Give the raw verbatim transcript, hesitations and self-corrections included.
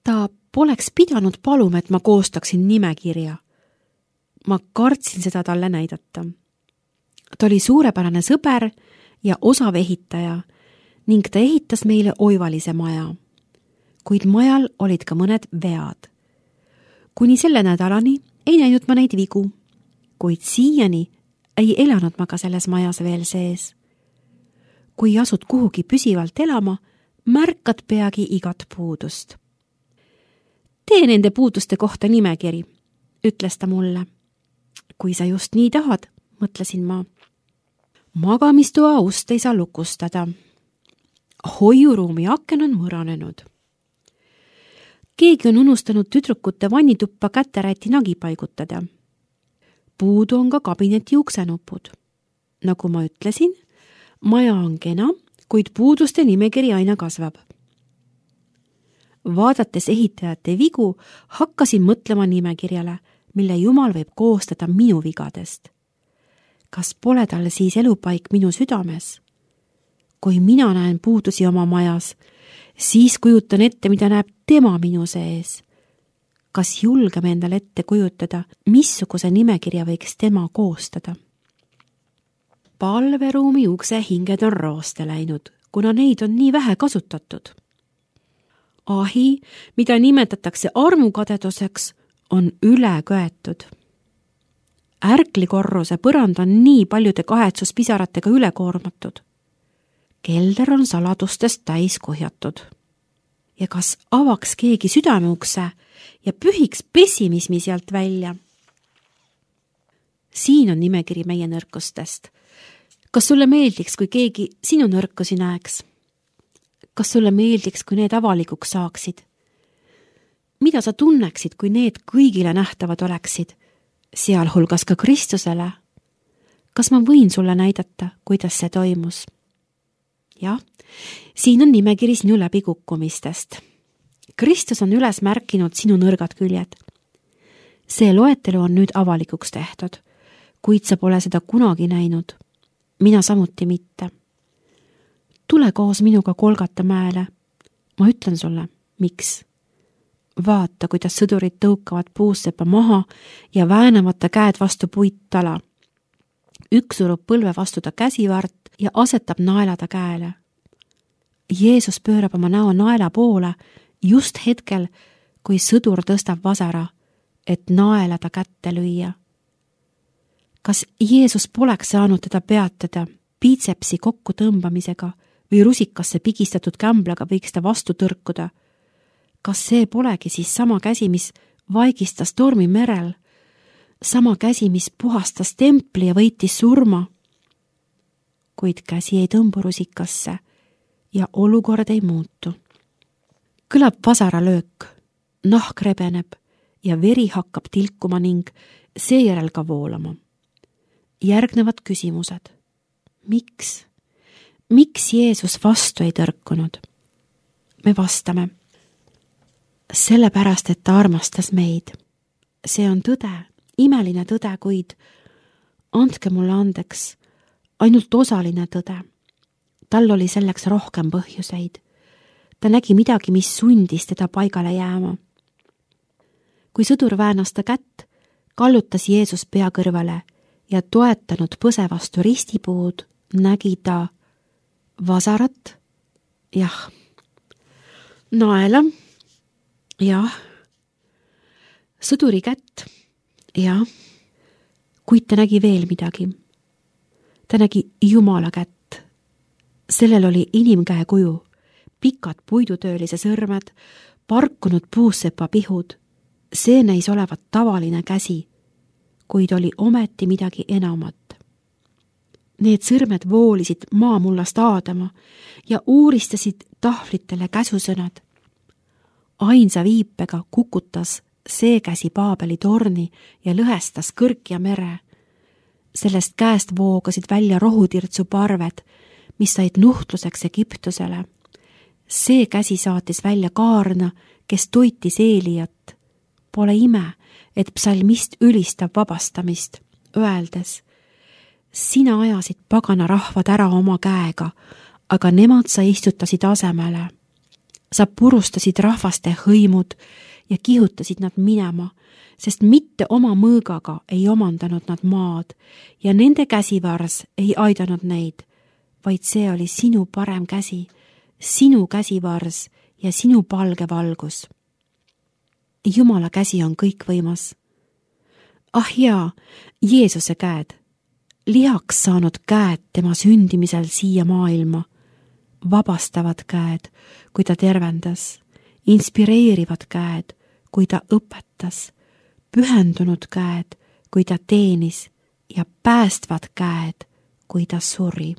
Ta poleks pidanud paluma, et ma koostaksin nimekirja. Ma kartsin seda talle näidata. Ta oli suurepärane sõber ja osav ehitaja ning ta ehitas meile oivalise maja. Kuid majal olid ka mõned vead. Kuni selle nädalani ei näinud ma neid vigu, kuid siiani ei elanud ma ka selles majas veel sees. Kui asud kuhugi püsivalt elama, märkad peagi igat puudust. Tee nende puuduste kohta nimekiri, ütles ta mulle. Kui sa just nii tahad, mõtlesin ma. Magamistoa ust ei saa lukustada. Hoiuruumi aken on mõranenud. Keegi on unustanud tüdrukute vannituppa käteräti nagi paigutada. Puudu on ka kabineti uksenupud. Nagu ma ütlesin, maja on kena, kuid puuduste nimekiri aina kasvab. Vaadates ehitajate vigu, hakkasin mõtlema nimekirjale, mille Jumal võib koostada minu vigadest. Kas pole tal siis elupaik minu südames? Kui mina näen puudusi oma majas, siis kujutan ette, mida näeb tema minu sees. Kas julgeme endale ette kujutada, missuguse nimekirja võiks tema koostada? Palveruumi ukse hinged on rooste läinud, kuna neid on nii vähe kasutatud. Ahi, mida nimetatakse armukadeduseks, on üle köetud. Ärklikorruse põrand on nii paljude kahetsuspisaratega üle koormatud. Kelder on saladustest täis kuhjatud. Ja kas avaks keegi südameukse ja pühiks pessimismi sealt välja? Siin on nimekiri meie nõrkustest. Kas sulle meeldiks, kui keegi sinu nõrkusi näeks? Kas sulle meeldiks, kui need avalikuks saaksid? Mida sa tunneksid, kui need kõigile nähtavad oleksid, sealhulgas ka Kristusele? Kas ma võin sulle näidata, kuidas see toimus? Jah, siin on nimekiri sinu läbikukkumistest. Kristus on üles märkinud sinu nõrgad küljed. See loetelu on nüüd avalikuks tehtud, kuid sa pole seda kunagi näinud. Mina samuti mitte. Tule koos minuga Golgata mäele. Ma ütlen sulle, miks? Vaata, kuidas sõdurid tõukavad puussepa maha ja väänavad ta käed vastu puittala. Üks surub põlve vastu ta käsivart ja asetab naela ta käele. Jeesus pöörab oma näo naela poole just hetkel, kui sõdur tõstab vasara, et naela ta kätte lüüa. Kas Jeesus poleks saanud teda peatada piitsepsi kokku tõmbamisega või rusikasse pigistatud kämblaga võiks ta vastu tõrkuda? Kas see polegi siis sama käsi, mis vaigistas tormi merel? Sama käsi, mis puhastas templi ja võitis surma? Kuid käsi ei tõmbu rusikasse ja olukord ei muutu. Kõlab vasaralöök, nahk rebeneb ja veri hakkab tilkuma ning seejärel ka voolama. Järgnevad küsimused. Miks? Miks Jeesus vastu ei tõrkunud? Me vastame. Sellepärast, et ta armastas meid. See on tõde, imeline tõde, kuid andke mulle andeks, ainult osaline tõde. Tal oli selleks rohkem põhjuseid. Ta nägi midagi, mis sundis teda paigale jääma. Kui sõdur väänas ta kätt, kallutas Jeesus pea kõrvale ja toetanud põse vastu ristipuud, nägi ta vasarat, jah, naela, jah, sõduri kätt, jah, kuid ta nägi veel midagi. Ta nägi Jumala kätt. Sellel oli inimkäe kuju, pikad puidutöölise sõrmed, parkunud puussepa pihud. See näis olevat tavaline käsi, kuid oli ometi midagi enamat. Need sõrmed voolisid maamullast aadama ja uuristasid tahvlitele käsusõnad. Ainsa viipega kukutas see käsi Paabeli torni ja lõhestas kõrk ja mere. Sellest käest voogasid välja rohutirtsu parved, mis said nuhtluseks Egiptusele. See käsi saatis välja Kaarna, kes toitis Eelijat. Pole ime, et psalmist ülistab vabastamist, öeldes: sina ajasid pagana rahvad ära oma käega, aga nemad sa istutasid asemele. sa purustasid rahvaste hõimud ja kihutasid nad minema, sest mitte oma mõõgaga ei omandanud nad maad ja nende käsivars ei aidanud neid, vaid see oli sinu parem käsi, sinu käsivars ja sinu palge valgus. Jumala käsi on kõikvõimas. Ah jaa, Jeesuse käed, lihaks saanud käed tema sündimisel siia maailma, vabastavad käed, kui ta tervendas, inspireerivad käed, kui ta õpetas, pühendunud käed, kui ta teenis ja päästvad käed, kui ta suri.